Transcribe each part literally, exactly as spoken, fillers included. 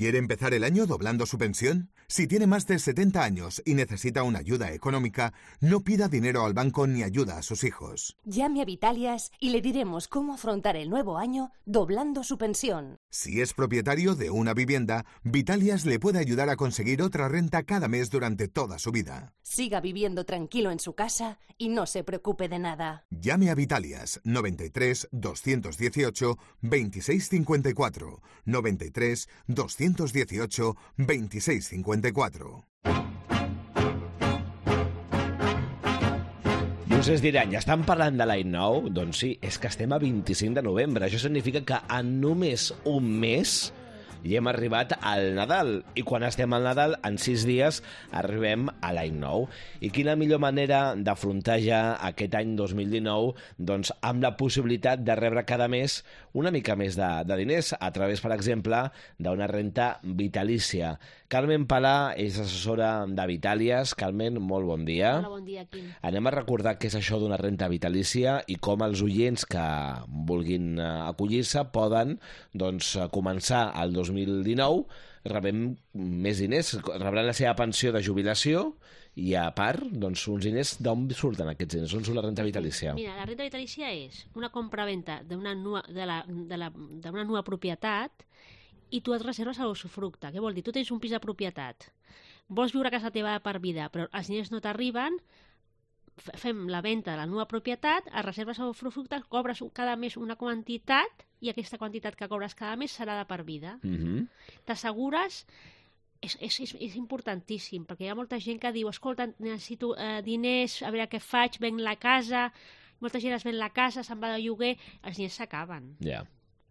¿Quiere empezar el año doblando su pensión? Si tiene más de setenta años y necesita una ayuda económica, no pida dinero al banco ni ayuda a sus hijos. Llame a Vitalias y le diremos cómo afrontar el nuevo año doblando su pensión. Si es propietario de una vivienda, Vitalias le puede ayudar a conseguir otra renta cada mes durante toda su vida. Siga viviendo tranquilo en su casa y no se preocupe de nada. Llame a Vitalias noventa y tres, doscientos dieciocho, veintiséis cincuenta y cuatro, noventa y tres, doscientos dieciocho, veintiséis cincuenta y cuatro. Vostès diran, ja estan parlant de l'any nou? Doncs sí, és que estem a vint-i-cinc de novembre. Això significa que en només un mes i hem arribat al Nadal. I quan estem al Nadal, en sis dies, arribem a l'any nou. I quina millor manera d'afrontar ja aquest any dos mil dinou doncs amb la possibilitat de rebre cada mes una mica més de, de diners a través, per exemple, d'una renta vitalícia. Carmen Palà és assessora de Vitàlies. Carmen, molt bon dia. Hola, bon dia, Quim. Anem a recordar què és això d'una renta vitalícia i com els oients que vulguin acollir-se poden doncs, començar el dos mil dinou rebent més diners, rebran la seva pensió de jubilació i a part, doncs, uns diners d'on surten aquests diners? On surt la renta vitalícia? Mira, la renta vitalícia és una compra-venta d'una nua, de la, de la, d'una nua propietat i tu et reserves a l'usufructe. Què vol dir? Tu tens un pis de propietat, vols viure a casa teva per vida, però els diners no t'arriben, fem la venda de la nua propietat, es reserves a l'usufructe, cobres cada mes una quantitat i aquesta quantitat que cobres cada mes serà de per vida. Mm-hmm. T'assegures... És, és, és, és importantíssim, perquè hi ha molta gent que diu, escolta, necessito eh, diners, a veure què faig, venc la casa, molta gent es ven la casa, se'n va de lloguer, els diners s'acaben. Ja. Yeah.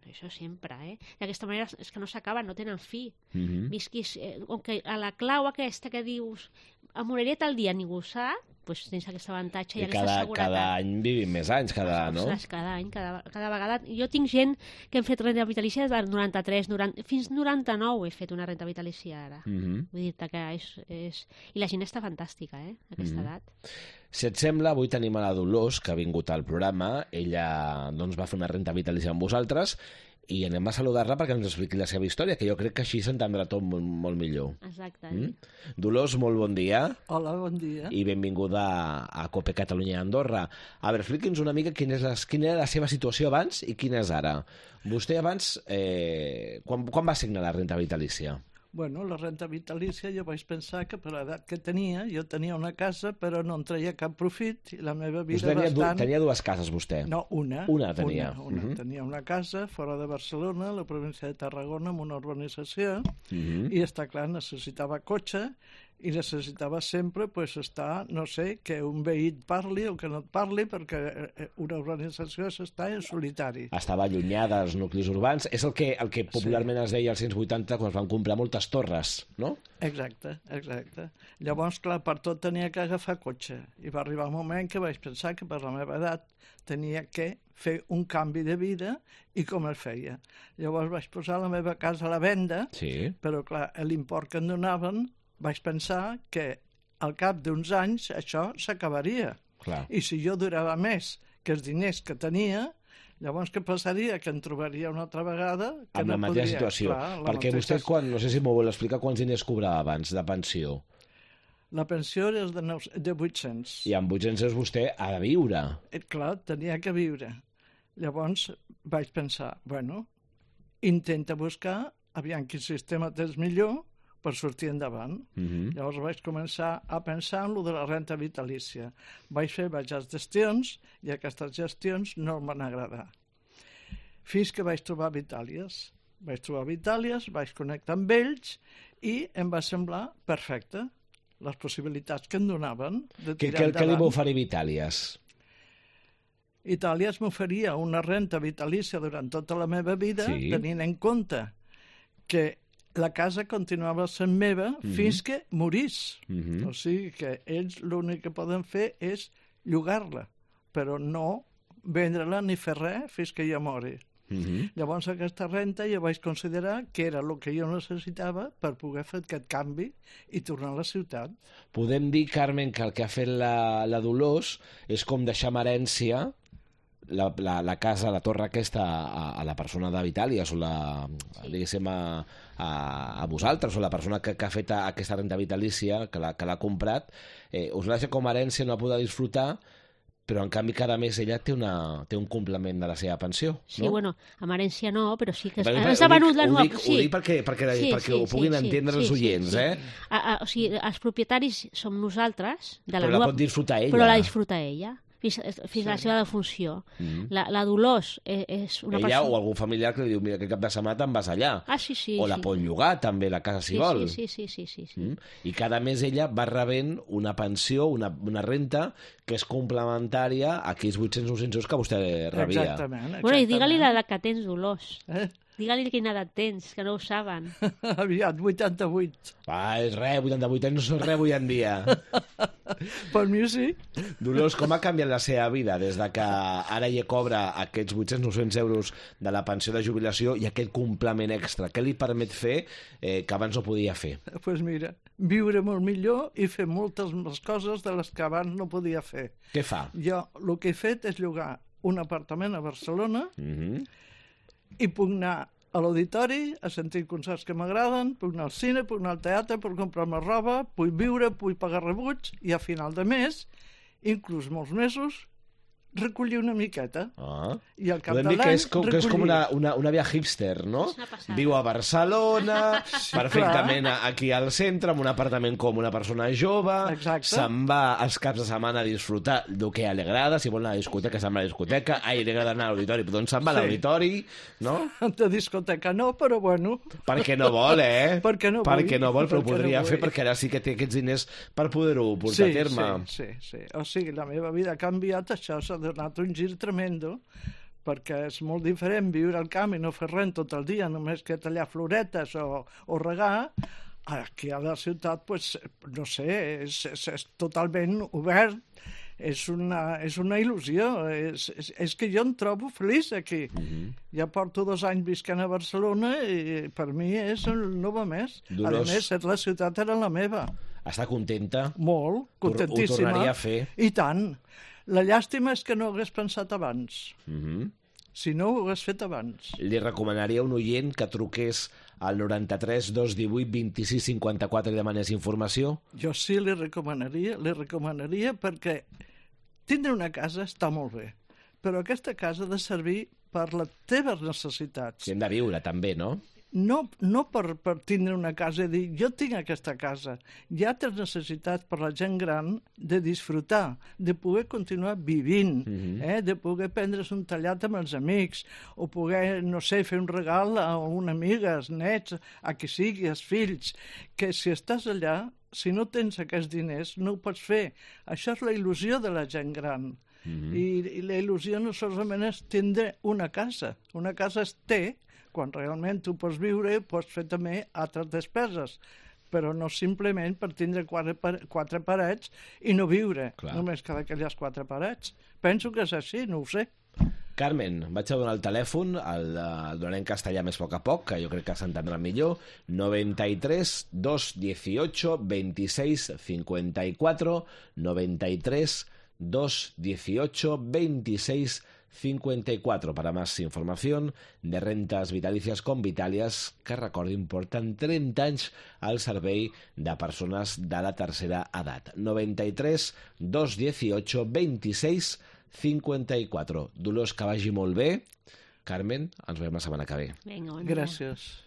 Això sempre, eh? D'aquesta manera és que no s'acaben, no tenen fi. Mm-hmm. Visquis, eh, com que a la clau aquesta que dius, em moriré tal dia, ningú sap, doncs tens aquest avantatge i, I aquesta cada, seguretat. cada any vivim més anys, cada, no? Ostres, cada any, cada, cada vegada. Jo tinc gent que hem fet renta vitalícia de noranta-tres, noranta, fins noranta-nou he fet una renta vitalícia ara. Mm-hmm. Vull dir-te que és, és... I la gent està fantàstica, eh, a aquesta Mm-hmm. edat. Si et sembla, avui tenim a la Dolors, que ha vingut al programa. Ella doncs, va fer una renta vitalícia amb vosaltres i anem a saludar-la perquè ens expliqui la seva història, que jo crec que així s'entendrà tot molt, molt millor. Exacte. Mm? Dolors, molt bon dia. Hola, bon dia. I benvinguda a, a COPE Catalunya i Andorra. A veure, expliqui'ns una mica quina, és la, quina era la seva situació abans i quina és ara. Vostè abans, eh, quan, quan va signar la renta vitalícia? Bueno, la renta vitalícia jo vaig pensar que per l'edat que tenia, jo tenia una casa però no en treia cap profit i la meva vida Us tenia, bastant... du, tenia dues cases vostè? No, una. Una tenia. Una, una. Uh-huh. Tenia una casa fora de Barcelona, a la província de Tarragona, en una urbanització, Uh-huh. i està clar, necessitava cotxe i necessitava sempre pues, estar, no sé, que un veí et parli o que no et parli, perquè una urbanització s'està en solitari. Estava allunyada dels nuclis urbans. És el que, el que popularment sí. es deia als anys vuitanta quan es van comprar moltes torres, no? Exacte, exacte. Llavors, clar, per tot tenia que agafar cotxe. I va arribar un moment que vaig pensar que per la meva edat tenia que fer un canvi de vida i com es feia. Llavors vaig posar la meva casa a la venda, Sí. però clar, l'import que em donaven vaig pensar que al cap d'uns anys això s'acabaria. Clar. I si jo durava més que els diners que tenia, llavors què passaria? Que em trobaria una altra vegada que Amb no la mateixa podria. situació. Clar, la Perquè mateixa... vostè, quan, no sé si m'ho vol explicar, quants diners cobrava abans de pensió? La pensió era de, nou... de vuit-cents. I amb vuit-cents euros vostè ha de viure. Eh, clar, tenia que viure. Llavors vaig pensar, bueno, intenta buscar, aviam quin sistema tens millor per sortir endavant. Uh-huh. Llavors vaig començar a pensar en lo de la renta vitalícia. Vaig fer diverses gestions i aquestes gestions no em van agradar. Fins que vaig trobar Vitàlies. Vaig trobar Vitàlies, vaig connectar amb ells i em va semblar perfecte les possibilitats que em donaven de Què, tirar què, què li endavant. va oferir Vitàlies? Itàlies m'oferia una renta vitalícia durant tota la meva vida, Sí. tenint en compte que la casa continuava sent meva Mhm. fins que morís. Uh-huh. O sigui que ells l'únic que poden fer és llogar-la, però no vendre-la ni fer res fins que jo mori. Uh-huh. Llavors aquesta renta jo vaig considerar que era el que jo necessitava per poder fer aquest canvi i tornar a la ciutat. Podem dir, Carmen, que el que ha fet la, la Dolors és com deixar en herència la, la, la casa, la torre aquesta a, a la persona de Vitàlies o la, sí. diguéssim, a, a, a vosaltres o la persona que, que ha fet aquesta renta vitalícia, que l'ha comprat, eh, us la deixa com a herència, no la podrà disfrutar, però en canvi cada mes ella té, una, té un complement de la seva pensió. Sí, no? bueno, amb herència no, però sí que... Perquè, ens ha venut la nova... Ho dic, sí. ho dic perquè, perquè, sí, perquè sí, ho puguin sí, entendre sí, els oients, sí, sí. eh? A, a, o sigui, els propietaris som nosaltres... De la però nova, la pot disfrutar ella. Però la disfruta ella. fins, fins sí. a la seva defunció. Mm-hmm. La, la Dolors és, és una Ella persona... o algun familiar que li diu, mira, aquest cap de setmana te'n vas allà. Ah, sí, sí. O la sí. pot llogar, també, la casa, si sí, vol. Sí, sí, sí. sí, sí. Mm? I cada mes ella va rebent una pensió, una, una renta, que és complementària a aquells vuit-cents o nou-cents euros que vostè rebia. Exactament. exactament. Bueno, i digue-li la que tens, Dolors. Eh? Digue-li quina edat tens, que no ho saben. Aviat, vuitanta-vuit. Va, és res, vuitanta-vuit anys no són res avui en dia. Per mi sí. Dolors, com ha canviat la seva vida des de que ara ella cobra aquests vuit-cents o nou-cents euros de la pensió de jubilació i aquest complement extra? Què li permet fer eh, que abans no podia fer? Doncs pues mira, viure molt millor i fer moltes més coses de les que abans no podia fer. Què fa? Jo el que he fet és llogar un apartament a Barcelona Mm-hmm. i puc anar a l'auditori a sentir concerts que m'agraden, puc anar al cine, puc anar al teatre, puc comprar-me roba, puc viure, puc pagar rebuts i a final de mes, inclús molts mesos, recollir una miqueta. Ah. I al cap Podem de dir que l'any és com, que és com una, una, una via hipster, no? Viu a Barcelona, Sí, perfectament aquí al centre, amb un apartament com una persona jove, Exacte. se'n va els caps de setmana a disfrutar del que li agrada, si vol anar a la discoteca, se'n va a la discoteca, ai, li agrada anar a l'auditori, però doncs se'n va a Sí. l'auditori, no? De discoteca no, però bueno. Perquè no vol, eh? Perquè no perquè vull. no vol, però ho Perquè podria no fer, vull. perquè ara sí que té aquests diners per poder-ho portar sí, a terme. Sí, sí, sí. O sigui, la meva vida ha canviat, això s'ha donat un gir tremendo, perquè és molt diferent viure al camp i no fer res tot el dia, només que tallar floretes o, o regar. Aquí a la ciutat, pues, no sé, és, és, és totalment obert, és una, és una il·lusió, és, és, és que jo em trobo feliç aquí. Mm-hmm. Ja porto dos anys visquent a Barcelona i per mi és el nou més. Dolors. A més, la ciutat era la meva. Està contenta? Molt, contentíssima. Ho tornaria a fer? I tant. La llàstima és que no ho hagués pensat abans. Mm-hmm. Si no, ho hagués fet abans. Li recomanaria a un oient que truqués al noranta-tres dos divuit vint-i-sis cinquanta-quatre i demanés informació? Jo sí li recomanaria, li recomanaria perquè tindre una casa està molt bé, però aquesta casa ha de servir per les teves necessitats. Si hem de viure, també, no? No, no per, per tindre una casa i dir, jo tinc aquesta casa. Hi ha altres necessitats per la gent gran de disfrutar, de poder continuar vivint, Mm-hmm. eh? De poder prendre's un tallat amb els amics, o poder, no sé, fer un regal a una amiga, als nets, a qui sigui, als fills, que si estàs allà, si no tens aquests diners, no ho pots fer. Això és la il·lusió de la gent gran. Mm-hmm. I, I la il·lusió no solament és tindre una casa. Una casa es té quan realment tu pots viure i pots fer també altres despeses, però no simplement per tindre quatre, quatre parets i no viure, Clar. Només cada aquelles quatre parets. Penso que és així, no ho sé. Carmen, vaig a donar el telèfon, el, el donaré en castellà més a poc a poc, que jo crec que s'entendrà millor, noranta-tres dos dieciocho veintiséis cincuenta y cuatro, noranta-tres dos dieciocho veintiséis cincuenta y cuatro para más información de rentas vitalicias con Vitalias, que recordin porten trenta anys al servei de persones de la tercera edat. noranta-tres dos dieciocho veintiséis cincuenta y cuatro. Dolors, que vagi molt bé. Carmen, ens veiem la setmana que ve. Vinga, bon dia. Gràcies.